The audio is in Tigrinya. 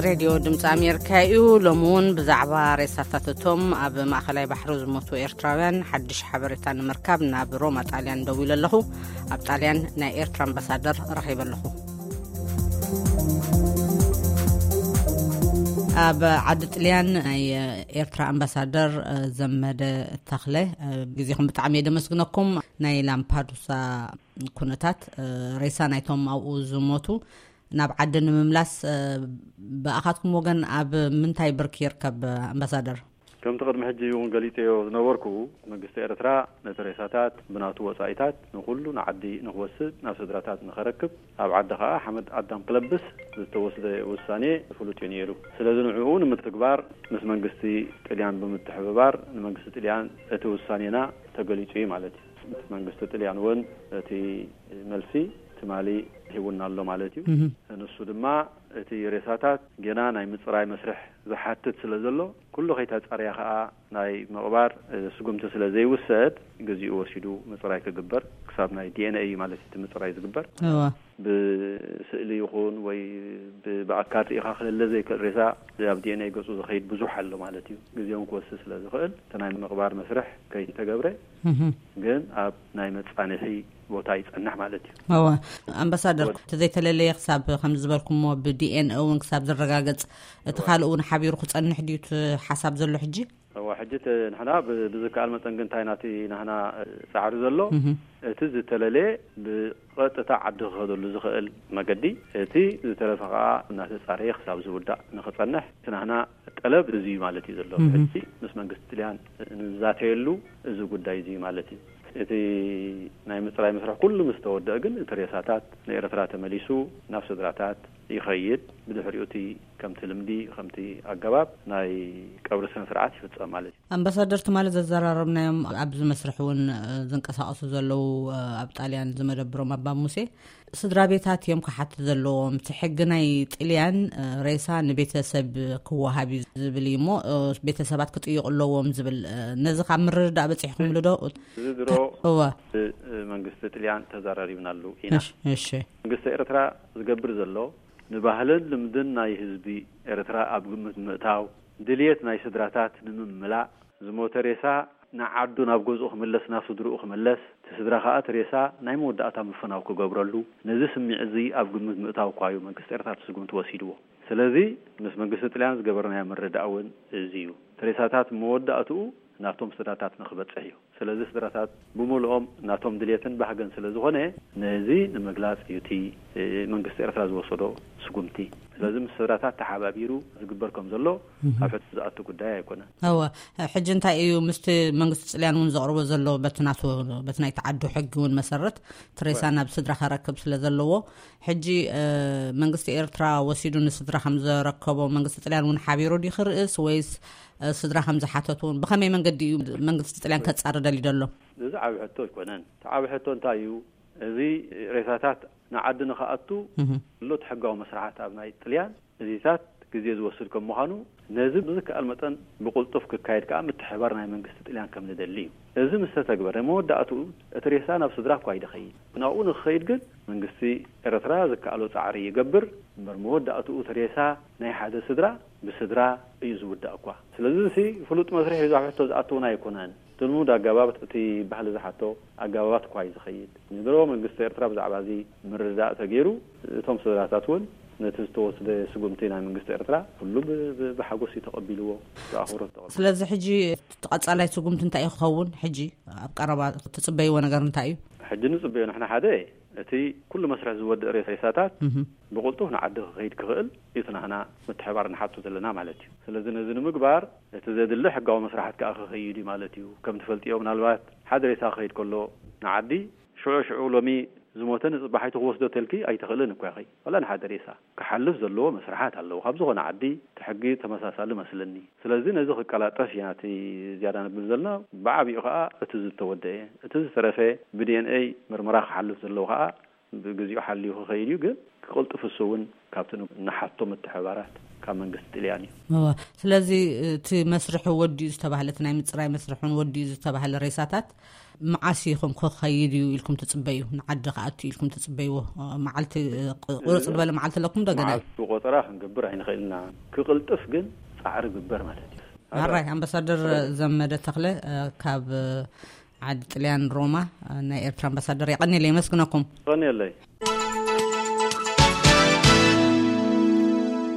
ሬድዮ ድምፂ ኣሜሪካ እዩ። ሎሚ እውን ብዛዕባ ሬሳታት እቶም ኣብ ማእኸላይ ባሕሪ ዝሞቱ ኤርትራውያን ሓድሽ ሓበሬታ ንምርካብ ናብ ሮማ ጣልያን ደዊለ ኣለኹ። ኣብ ጣልያን ናይ ኤርትራ ኣምባሳደር ረኺበ ኣለኹ። ኣብ ዓዲ ጥልያን ናይ ኤርትራ ኣምባሳደር ዘመደ ተኽለ፣ ግዜኹም ብጣዕሚ እየ ደመስግነኩም። ናይ ላምፓዱሳ ኩነታት፣ ሬሳ ናይቶም ኣብኡ ዝሞቱ ናብ ዓዲ ንምምላስ፣ ብኣኻትኩም ወገን ኣብ ምንታይ ብርኪ ይርከብ ኣምባሳደር? ከምቲ ቅድሚ ሕጂ እውን ገሊጸዮ ዝነበርኩ፣ መንግስቲ ኤርትራ ነቲ ሬሳታት ብናቱ ወጻኢታት ንኹሉ ንዓዲ ንኽወስድ፣ ናብ ስድራታት ንኸረክብ፣ ኣብ ዓዲ ኸኣ ሓመድ ኣዳም ክለብስ ዝተወስደ ውሳኔ ፍሉጥ እዩ ነይሩ። ስለዚ ንዕኡ ንምትግባር ምስ መንግስቲ ጥልያን ብምትሕብባር ንመንግስቲ ጥልያን እቲ ውሳኔና ተገሊጹ እዩ ማለት እዩ። እቲ መንግስቲ ጥልያን እውን እቲ መልሲ ትማሊ ሂቡና ኣሎ ማለት እዩ። ንሱ ድማ እቲ ሬሳታት ገና ናይ ምጽራይ መስርሕ ዝሓትት ስለ ዘሎ፣ ኩሉ ከይተጻረየ ከኣ ናይ ምቕባር ስጉምቲ ስለ ዘይውሰድ፣ ግዜኡ ወሲዱ ምጽራይ ክግበር፣ ክሳብ ናይ ዲ ኤን ኤ እዩ ማለት እዩ እቲ ምጽራይ ዝግበር። እዋ። ብስእሊ ይኹን ወይ ብ-፣ ብኣካል ርኢኻ ክለለ ዘይክእል ሬሳ ኣብ ዲ ኤን ኤ ገጹ ዝኸይድ ብዙሕ ኣሎ ማለት እዩ። ግዜውን ክወስድ ስለ ዝኽእል፣ እቲ ናይ ምቕባር መስርሕ ከይተገብረ፣ ግን ኣብ ናይ መጻንሒ ቦታ ይጸንሕ ማለት እዩ። እወ፣ ኣምባሳደር፣ ወድ- ተዘይተለለየ ክሳብ ከም ዝበልኩሞ ብዲ ኤን ኤ እውን ክሳብ ዝረጋገጽ፣ እቲ ካልእ እውን ሓቢሩ ክጸንሕ ድዩ እቲ ሓሳብ ዘሎ ሕጂ? እወ፣ ሕጂ እቲ ንሕና ብ-፣ ብዝከኣል መጠን ግን እንታይ ናቲ ናህና ጻዕሪ ዘሎ፣ እቲ ዝተለለየ ብቐጥታ ዓዲ ክኸደሉ ዝኽእል መገዲ፣ እቲ ዝተረፈ ከኣ እናተጻረየ ክሳብ ዝውዳእ ንኽጸንሕ እቲ ናህና ጠለብ እዚ እዩ ማለት እዩ ዘሎ። ሕጂ ምስ መንግስቲ ጥልያን ንዛተየሉ እዚ ጉዳይ እዚ እዩ ማለት እዩ። እቲ ናይ ምጽራይ መስርሕ ኩሉ ምስ ተወደአ ግን እቲ ሬሳታት ንኤርትራ ተመሊሱ ናብ ስድራታት ይኸይድ። ብድሕሪኡ እቲ ከምቲ ልምዲ፣ ከምቲ ኣገባብ ናይ ቀብሪ ስነ ስርዓት ይፍጸም ማለት እዩ። ኣምባሳደር ትማሊ ዘዘራረብናዮም ኣብዚ መስርሕ እውን፣ እ፣ ዝንቀሳቐሱ ዘለዉ፣ እ፣ ኣብ ጣልያን ዝመደብሮም ኣባ ሙሴ ስድራ ቤታት እዮም ክሓቱ ዘለዎም። እቲ ሕጊ ናይ ጥልያን፣ እ፣ ሬሳ ንቤተሰብ ክወሃብ እዩ ዝብል እዩ እሞ፣ እ፣ ቤተሰባት ክጥይቑ ኣለዎም ዝብል፣ እ፣ ነዚ ካብ ምርድዳእ በጺሕኩምሉ ዶ? እዚ ድሮ እወ። እ፣ መንግስቲ ጥልያን ተዘራሪብናሉ ኢና። እሺ፣ እሺ። መንግስቲ ኤርትራ ዝገብር ዘሎ ንባህልን ልምድን ናይ ህዝቢ ኤርትራ ኣብ ግምት ምእታው፣ ድልየት ናይ ስድራታት ንምምላእ፣ ዝሞተ ሬሳ ንዓዱ ናብ ገዝኡ ክምለስ፣ ናብ ስድርኡ ክምለስ፣ እቲ ስድራ ከኣ እቲ ሬሳ ናይ መወዳእታ ምፍናው ክገብረሉ፣ ነዚ ስምዒት እዚ ኣብ ግምት ምእታው እኳ እዩ መንግስቲ ኤርትራ እቲ ስጉምቲ ወሲድዎ። ስለዚ ምስ መንግስቲ ጥልያን ዝገበርናዮ ምርድዳእ እውን እዚ እዩ። እቲ ሬሳታት መወዳእትኡ ናቶም ስድራታት ንክበጽሕ እዩ። ስለዚ ስድራታት ብምልኦም ናቶም ድልየትን ባህገን ስለ ዝኾነ፣ ነዚ ንምግላጽ እዩ እቲ፣ እ፣ መንግስቲ ኤርትራ ዝወሰዶ ስጉምቲ። ስለዚ ምስ ስድራታት ተሓባቢሩ ዝግበር ከም ዘሎ ኣብ ሕቶ ዝኣቱ ጉዳይ ኣይኮነን። እወ፣ ሕጂ እንታይ እዩ ምስቲ መንግስቲ ጥልያን እውን ዘቕርቦ ዘሎ በቲ ናቱ፣ በቲ ናይ ተዓዱ ሕጊ እውን መሰረት ትሬሳ ናብ ስድራ ከረክብ ስለ ዘለዎ፣ ሕጂ፣ እ፣ መንግስቲ ኤርትራ ወሲዱ ንስድራ ከም ዘረከቦ መንግስቲ ጥልያን እውን ሓቢሩ ድዩ ክርእስ ወይስ፣ እ፣ ስድራ ከም ዝሓተቱ እውን ብኸመይ መንገዲ እዩ መንግስቲ ጥልያን ከጻሪ ደልዩ ዘሎ? እዚ ዓቢ ሕቶ ኣይኮነን። እቲ ዓቢ ሕቶ እንታይ እዩ? እዚ ሬሳታት ንዓዲ ንኽኣቱ እህ። ዘሎ እቲ ሕጋዊ መስርሓት ኣብ ናይ ጥልያን እዚታት ግዜ ዝወስድ ከም ምዃኑ፣ ነዚ ብዝከኣል መጠን ብቕልጡፍ ክካየድ ከኣ ምትሕባር ናይ መንግስቲ ጥልያን ከም ንደሊ እዩ። እዚ ምስ ተተግበረ፣ መወዳእትኡ እቲ ሬሳ ናብ ስድራ እኳ ይደኸይድ። ናብኡ ንክኸይድ ግን መንግስቲ ኤርትራ ዝከኣሎ ጻዕሪ ይገብር። እምበር መወዳእትኡ እቲ ሬሳ ናይ ሓደ ስድራ ብስድራ እዩ ዝውዳእ እኳ። ስለዚ እዚ ፍሉጥ መስርሕ እዩ፣ ኣብ ሕቶ ዝኣትውና ኣይኮነን። እቲ ልሙድ ኣገባብ እቲ ባህሊ ዝሓቶ ኣገባባት እኳ እዩ ዝኸይድ። ንድሮ መንግስቲ ኤርትራ ብዛዕባ እዚ ምርድዳእ ተገይሩ፣ እቶም ስድራታት እውን ነቲ ዝተወስደ ስጉምቲ ናይ መንግስቲ ኤርትራ ኩሉ ብ-፣ ብ-፣ ብሓጎስ እዩ ተቐቢልዎ፣ ብኣኽብሮት ተቐቢልዎ። ስለዚ ሕጂ እቲ ቀጻላይ ስጉምቲ እንታይ እዩ ክኸውን? ሕጂ ኣብ ቀረባ ትጽበይዎ ነገር እንታይ እዩ? ሕጂ ንጽበዮ ንሕና ሓደ እቲ ኩሉ መስርሕ ዝወድእ ሬሳታት እህ። ብቕልጡፍ ንዓዲ ክኸይድ ክኽእል እዩ እቲ ናህና ምትሕባር ንሓቶ ዘለና ማለት እዩ። ስለዚ ነዚ ንምግባር እቲ ዘድሊ ሕጋዊ መስርሓት ከኣ ክኸይድ እዩ ማለት እዩ። ከም ትፈልጥዮ ምናልባት ሓደ ሬሳ ክኸይድ ከሎ ንዓዲ ሽዑ ሽዑ ሎሚ ዝሞተ ንጽባሒቱ ክወስዶ ተልኪ ኣይትኽእልን እኳ ኢኺ። ዋላ ንሓደ ሬሳ ክሓልፍ ዘለዎ መስርሓት ኣለዎ። ካብ ዝኾነ ዓዲ እቲ ሕጊ ተመሳሳሊ መስለኒ። ስለዚ ነዚ ክቀላጠፍ ኢና እቲ ዝያዳ ንብል ዘለና። ብዓቢኡ ከኣ እቲ ዝተወደአ፣ እቲ ዝተረፈ ብዲ ኤን ኤ ምርመራ ክሓልፍ ዘለዎ ከኣ ብግዚኡ ሓልዩ ክኸይድ እዩ። ግን ክቕልጥፍ እሱ እውን ካብቲ ን-፣ ንሓቶ ምትሕባራት ካብ መንግስቲ ጥልያን እዩ። እወ፣ ስለዚ እቲ መስርሑ ወዲኡ ዝተባህለ፣ እቲ ናይ ምፅራይ መስርሑን ወዲኡ ዝተባህለ ሬሳታት መዓስ ኢኹም ክኸይድ እዩ ኢልኩም ትፅበዩ? ንዓዲ ክኣቱ ኢልኩም ትፅበይዎ መዓልቲ፣ ቁርፅ ዝበለ መዓልቲ ኣለኩም? እንደገና መዓልቲ ቆፀራ ክንገብር ኣይንኽእልና። ክቕልጥፍ ግን ፃዕሪ ግበር ማለት እዩ። ኣራይ ኣምባሳደር ዘመደ ተኽለ፣ ካብ ዓዲ ጥልያን ሮማ፣ ናይ ኤርትራ ኣምባሳደር፣ የቐንየለይ፣ የመስግነኩም። ቀንየለይ።